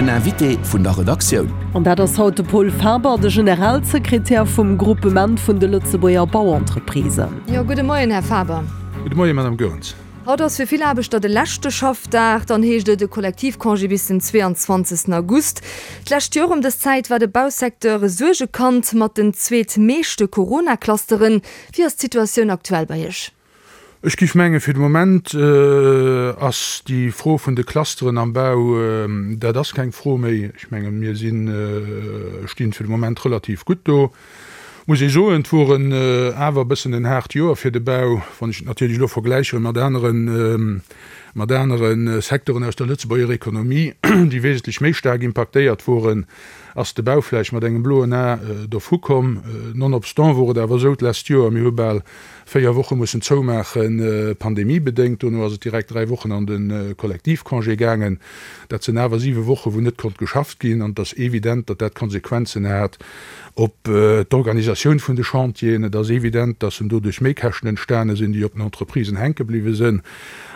Den Invité vun der Redaktioun. An dat ass haut de Pol Faber, de Generalsekretär vum Groupement vun de Lëtzebuerger Bauentreprisen. Jo, gudde Moien, Här Faber. Gudde Moien, Madame Goerens. Haut ass fir vill Aarbechter de leschte Schaffdag. Dann heescht et e Kollektivcongé bis den 22 August. D'lescht Joer ëm dës Zäit war de Bausecteur e Suergekand mat den zweetmeeschte Corona-Clusteren. Wéi ass d'Situatioun aktuell bei Iech? Ech géif mengen, fir de Moment ass déi Fro vun de Clusteren am Bau, dat ass keng Fro méi. Ech menge mir sinn, stinn fir de Moment relativ gutt do. Muss ee soen, et wor en awer e bëssen en haart Joer fir de Bau, wann ech et natierlech elo vergläiche mat aneren, mat anere Secteuren aus der Lëtzebuerger Ekonomie, déi wesentlech méi staark impaktéiert woren, ass de Bau vläicht mat engem bloen A dovu komm. Nonobstant wor et awer esou d'lescht Joer, mir hu bal 4 Woche mussen zoumaachen, pandemiebedéngt. Dono ass et direkt 3 Wochen an de Kollektivcongé gaangen. Dat sinn awer 7 Woche wou net konnt geschafft ginn. An et ass evident, datt dat Konsequenzen hat op d'Organisatioun vun de Chantieren. Et ass evident, datt en doduerch Méikäschten entstane sinn, déi op den Entreprisen hänke bliwwe sinn.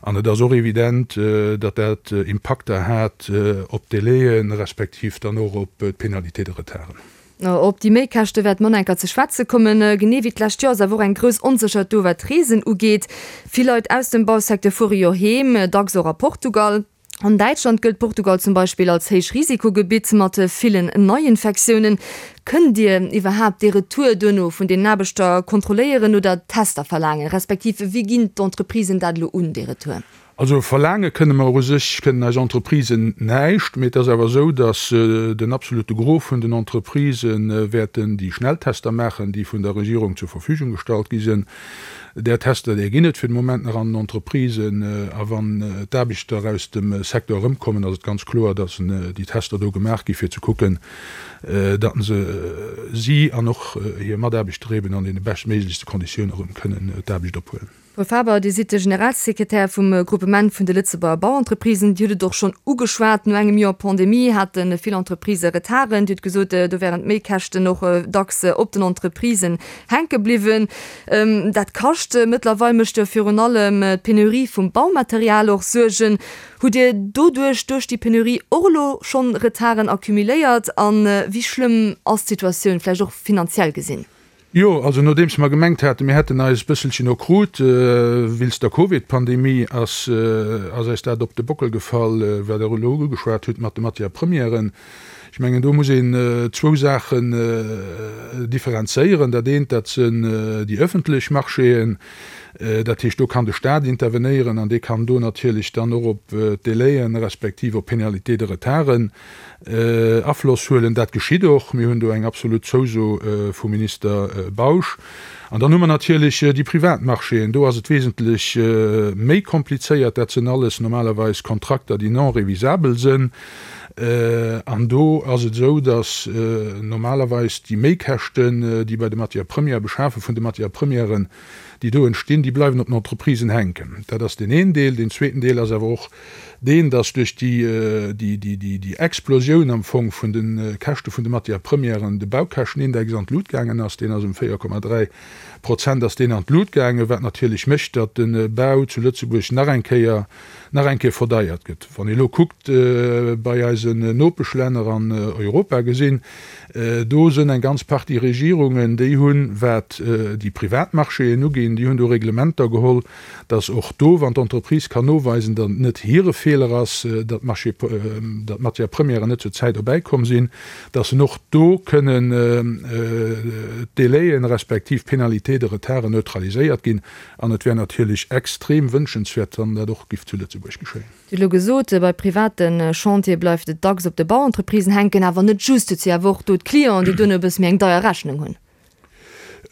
An et ass och evident, datt dat Impakter hat op d'Délaien, respektiv dann och op d'Pénalités de retarden. Op déi Méikäschte wäert mer enker ze schwätze kommen. Genee wéi d'lescht Joer ass awer och eng grouss Onsécherheet do, wat d'Reesen ugeet. Vill Leit aus dem Bausecteur fuere jo heem, dacks och a Portugal. An Däitschland gëllt Portugal zum Beispill als Héichrisikogebitt mat villen Neiinfektiounen. Kënnt Dir iwwerhaapt dee Retour duerno vun den Aarbechter kontrolléieren oder Tester verlaangen? Respektiv wéi ginn d'Entreprisen dat elo un, dee Retour? Also verlaange kënne mer u sech, kënnen eis Entreprisen näischt, mee et ass awer esou, datt den absolute Gros vun den Entreprisë wäerten déi Schnelltester maachen, déi vun der Regierung zur Verfügung gestallt gi sinn. Där Tester, där ginn et fir de Moment nach an den Entreprisen. A wann d'Aarbechter aus dem Secteur erëmkommen, ass et ganz kloer, datt déi Tester do gemaach gi fir ze kucken, datt se si an och hir Mataarbechter eben an deene beschtméiglechste Konditioune erëm kënnen d'Aarbecht ophuelen. Paul Faber, Dir sidd de Generalsekretär vum Groupement vun de Lëtzebuerger Bauentreprisen. Dir hutt et och schonn ugeschwat, no engem Joer Pandemie hate vill Entreprisë Retarden. Dir hutt gesot, do wären d'Méikäschten och dacks op den Entreprisen hänke bliwwen. Dat kascht. Mëttlerweil mécht jo virun allem d'Penurie vum Baumaterial och Suergen. Hutt Dir doduerch, duerch déi Penurie, och elo schonn Retarden accumuléiert? A wéi schlëmm ass d'Situatioun, vläicht och finanziell gesinn? Jo, also nodeems mer gemengt haten, mir hätten eis bësselchen erkrut wéinst der Covid-Pandemie, ass ass eis dat op de Bockel gefall, wat Der elo ugeschwat hutt mat de Matières premièren. Ech mengen, do muss een zwou Saachen differenzéieren. Dat eent, dat sinn déi öffentlech Marchéen. Dat heescht, do kann de Stat intervenéieren an dee kann do natierlech dann och op d'Délaien respektiv op Pénalités de retarden Afloss huelen. Dat geschitt och. Mir hunn do eng absolut Zouso vum Minister Bausch. An dann hu mer natierlech déi privat Marchéen. Do ass et wesentlech méi komplizéiert. Dat sinn alles normalerweis Kontrakter, déi non révisabel sinn. An do ass et esou, datt normalerweis déi Méikäschten, déi bei de Matières premières, Beschafe vun de Matières premièren, déi do entstinn, déi bleiwen op den Entreprisen hänken. Dat ass deen een Deel. Deen zweeten Deel ass awer och deen, dass duerch déi Explosioun am Fong vun de Käschte vun de Matières premièren de Baukäschtenindex an d'Lut gaangen ass. Deen ass ëm 4,3 Prozent ass deen an d'Lut gaangen, wat natierlech mécht, datt de Bau zu Lëtzebuerg nach eng Kéier, nach eng Kéier verdeiert gëtt. Wann ee elo kuckt bei eisen Nopeschlänner an Europa gesinn, do sënn eng ganz Partie Regierungen, déi hunn, wat déi privat Marchéen uginn, déi hunn do Reglementer geholl, dass och do, wann d'Entreprise kann noweisen, datt et net hire Feeler ass, datt d'Matières premièren net zur Zäit erbäikomm sinn, dass en och do kënnen d'Délaien respektiv d'Pénalités de retarden neutraliséiert ginn. An et wär natierlech extrem wënschenswäert, wann dat och giff zu Lëtzebuerg geschéien. Dir hutt elo gesot, bei private Chantiere bleift et dacks op de Bauentreprisen hänken, awer net just. Et si awer och do d'Clienten, déi duerno e bësse méi eng deier Rechnung hunn.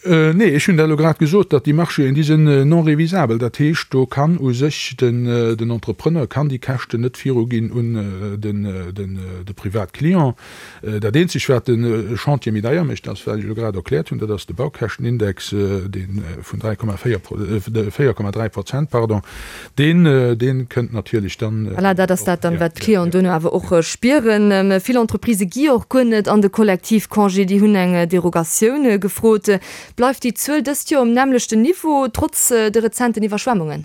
Nee, ech hunn dat elo grad gesot, datt déi Marchéen, déi sinn non révisabel. Dat heescht, do kann u sech den Entrepreneur kann déi Käschten net viruginn un de Privatclient. Dat eenzegt, wat de Chantier méi deier mécht, ass, wat ech elo grad erkläert hunn, dat ass de Baukäschtenindex, dee vun 3,4, 4,3 Prozent, pardon, Deen, deen kënnt natierlech dann. Voilà, dat ass dat dann, wat d'Clienten duerno awer och spieren. Vill Entreprisë gi och guer net an de Kollektivcongé, déi hunn eng Derogatioun gefrot. Bleift déi Zuel dëst Joer um nämmlechten Niveau, trotz de rezenten Iwwerschwemmungen?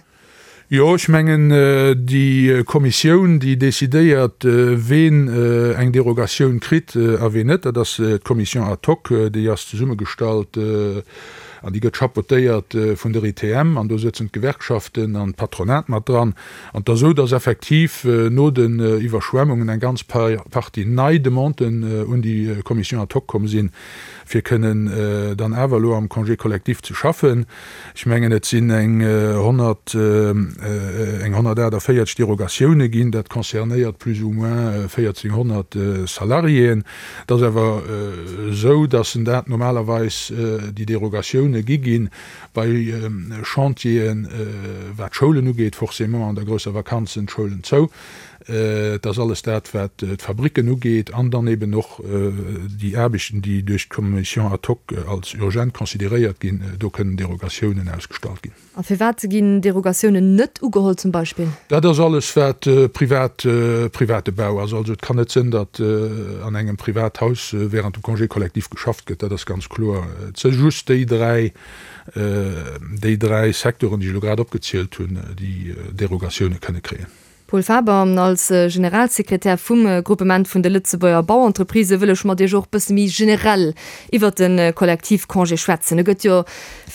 Jo, ech mengen, déi Kommissioun, déi decidéiert, ween eng Derogatioun kritt a ween net, dat ass d'Commission ad hoc, déi ass zesummegestallt an déi gëtt chapeautéiert vun der ITM an do sëtzen d'Gewerkschaften an d'Patronat mat dran. An et ass esou, dass effektiv no den Iwwerschwemmungen eng ganz Partie nei Demanden un déi Commission ad hoc komm sinn, fir kënnen dann awer elo am Congé collectif ze schaffen. Ech mengen, et sinn eng 100, eng 148 Derogatioune ginn. Dat concernéiert plus ou moins 1.400 Salariéen. Et ass awer esou, dass en dat normalerweis déi Derogatioune gi ginn bei Chantieren, wat d'Schoulen ugeet, forcément an der grousser Vakanz sinn d'Schoulen zou. Et ass alles dat, wat d'Fabricken ugeet an dann eben och déi Aarbechten, déi duerch d'Commission ad hoc als urgent consideréiert ginn, do kënnen Derogatiounen ausgestallt ginn. A firwat ginn Derogatiounen net ugeholl zum Beispill? Dat ass alles, wat privat, private Bau ass. Also et kann net sënn, datt an engem Privathaus während dem Congé collectif geschafft gëtt. Dat ass ganz kloer. Et si just déi dräi, déi dräi Secteuren, déi ech elo grad opgezielt hunn, déi Derogatioune kënne kréien. Paul Faber, Als Generalsekretär vum Gruppement vun de Lëtzebuerger Bauentreprisë wëll ech mat Iech och bësse méi generell iwwert de Kollektivcongé schwätzen. E gëtt jo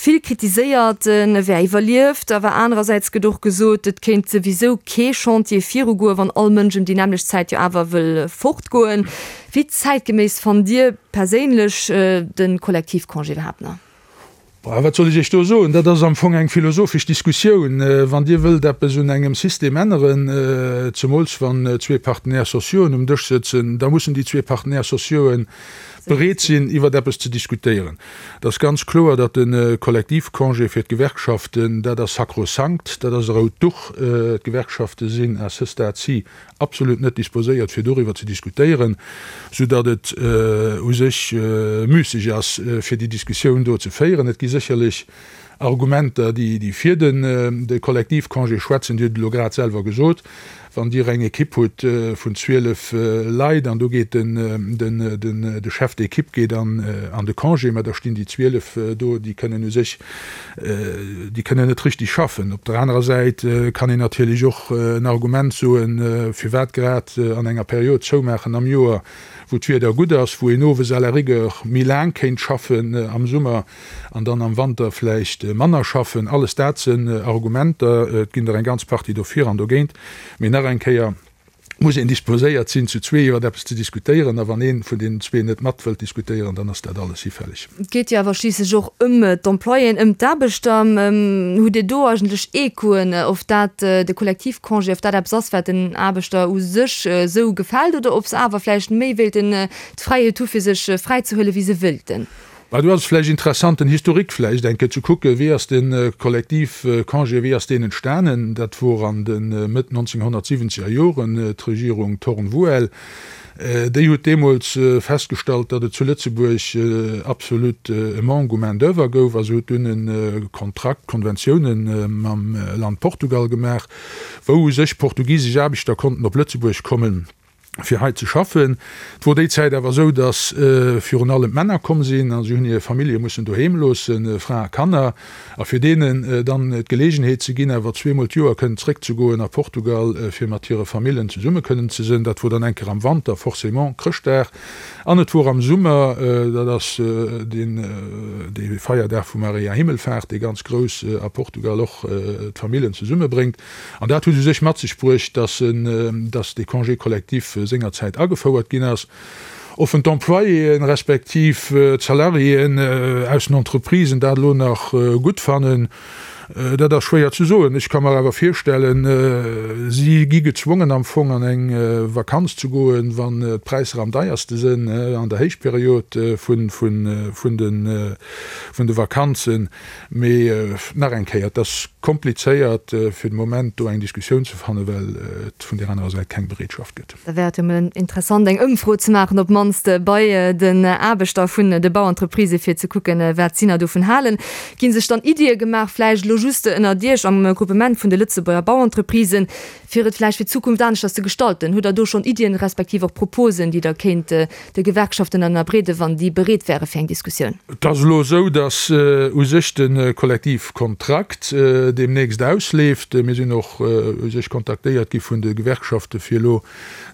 vill kritiséiert, e wär iwwerlieft, awer anerersäits gëtt och gesot, et kéint souwisou kee Chantier virugoen, wann all Mënsch ëm déi nämmlecht Zäit jo awer wëll fortgoen. Wéi zäitgeméiss fannt Dir perséinlech de Kollektivcongé iwwerhaapt nach? Bah, wat soll ech Iech do soen? Dat ass am Fong eng philosophesch Diskussioun. Wann Dir wëllt eppes un engem System änneren, zemools wann zwee Partenaires sociauxen um Dësch sëtzen, da mussen déi zwee Partenaires sociauxen bereet sinn, iwwert eppes ze diskutéieren. Et ass ganz kloer, datt de Kollektivcongé fir d'Gewerkschaften, dat ass sakrosankt, dat ass e rout Duch. D'Gewerkschafte sinn à ce stade-ci absolut net disposéiert fir doriwwer ze diskutéieren, soudatt et u sech müsseg ass fir déi Diskussioun do ze féieren. Et gi sécherlech Argumenter, déi fir de Kollektivcongé schwätzen. Dir hutt et elo grad selwer gesot, wann Dir eng Ekipp hutt vun 12 Leit an do geet de Chef d'équipe geet an de Congé, mä da stinn déi 12 do, déi kënnen u sech Déi kënnen net richtig schaffen. Op der anerer Säit kann een natierlech och en Argument soen, firwat grad an enger Period zoumaachen am Joer, wou d'Wieder gutt ass, wou een owes à la rigueur méi laang kéint schaffen am Summer an dann am Wanter vläicht manner schaffen. Alles dat sinn Argumenter. Et ginn der eng ganz Partie dofir an dogéint. Mee nach eng Kéier, muss een disposéiert sinn, zu zwee iwwer eppes ze diskutéieren, a wann ee vun deenen zwee net mat wëllt diskutéieren, dann ass dat alles hifälleg. Et geet jo awer schliisslech och ëm d'Employéen, ëm d'Aarbechter. Hutt Dir do eigentlech Echoen, of dat de Kollektivcongé, of dat eppes ass, wat den Aarbechter u sech esou gefält, oder ob se awer vläicht méi wéilten d'Fräiheet hu fir sech fräizehuelen, wéi se wëilten? Mä do ass et vläicht interessant, den Historique vläicht eng Kéier ze kucken, Wéi ass de Kollektivcongé, wéi ass deen entstanen? Dat wor an de Mëtt 1970er Joren, d'Regierung Thorn-Vouel, déi huet deemools festgestallt, datt et zu Lëtzebuerg absolut e Manque u Main-d'oeuvre gouf a se huet dunn e Kontrakt, Konventiounen mam Land Portugal gemaach, wou u sech portugisesch Aarbechter konnten op Lëtzebuerg kommen. fir hei ze schaffen. Et wor déi Zäit awer esou, datt virun allem d'Männer komm sinn a si hunn hir Famillje mussen doheem loossen, Fra a Kanner, a fir deenen dann d'Geleegenheet ze ginn, awer zweemol d'Joer kënnen zréckzegoen a Portugal, fir mat hire Famillen zesumme kënnen ze sënn. Dat wor dann eng Kéier am Wanter, forcément Chrëschtdag, an et wor am Summer, dat ass deen dee Feierdag vu Maria Himmelfahrt, dee ganz grouss a Portugal och d'Famillen zesummebréngt. An dat huet u sech mat sech bruecht, dass en, dass dee Congé collectif sengerzäit agefouert ginn ass. Offen d'Employéen respektiv d'Salariéen aus den Entreprisen dat elo nach gutt fannen, dat ass schwéier ze soen. Ech ka mer awer virstellen, si gi gezwongen am Fong an eng Vakanz ze goen, wann d'Präisser am deierste sënn, an der Héichperiod vun de Vakanzen. Mee nach eng Kéier, et ass komplizéiert fir de Moment do eng Diskussioun ze fannen, well et vun där anerer Säit keng Bereetschaft gëtt. Da wär et jo mol interessant eng Ëmfro ze maachen, op d'mannst bei den Aarbechter vun de Bauentreprisë fir ze kucken, wat si nach dovun halen. Gi sech dann Iddie gemaach, vläicht elo just ënnert Iech am Gruppement vun de Lëtzebuerger Bauentreprisen, fir et vläicht fir d'Zukunft aneschters ze gestalten? Hutt Der do schonn Iddien, respektiv och Proposen, déi Der kéint de Gewerkschaften ënnerbreeden, wann déi bereet wäre fir eng Diskussioun? Et ass elo esou, datt u sech de Kollektivkontrakt deemnächst ausleeft. Mir sinn och u sech kontaktéiert gi vun de Gewerkschafte fir elo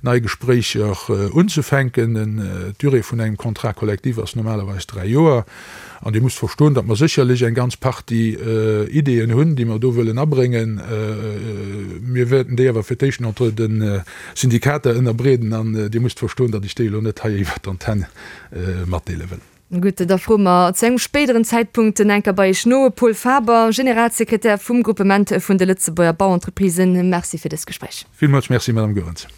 nei Gespréicher unzefänken. D'Durée vun engem Contrat collectif ass normalerweis 3 Joer. An Dir musst verstoen, datt mer sécherlech eng ganz Partie Ideeën hunn, déi mer do wëllen abréngen. Mir wäerten déi awer fir d'éischt entre de Syndikater ënnerbreeden. An Dir musst verstoen, datt ech déi elo net hei iwwert d'Antenn matdeele wëll. Gutt, da froe mer zu engem spéideren Zäitpunkt enker bei Iech no. Paul Faber, Generalsekretär vum Gruppement vun de Lëtzebuerger Bauentreprisen, Merci fir dëst Gespréich. Villmools Merci, Madame Goerens.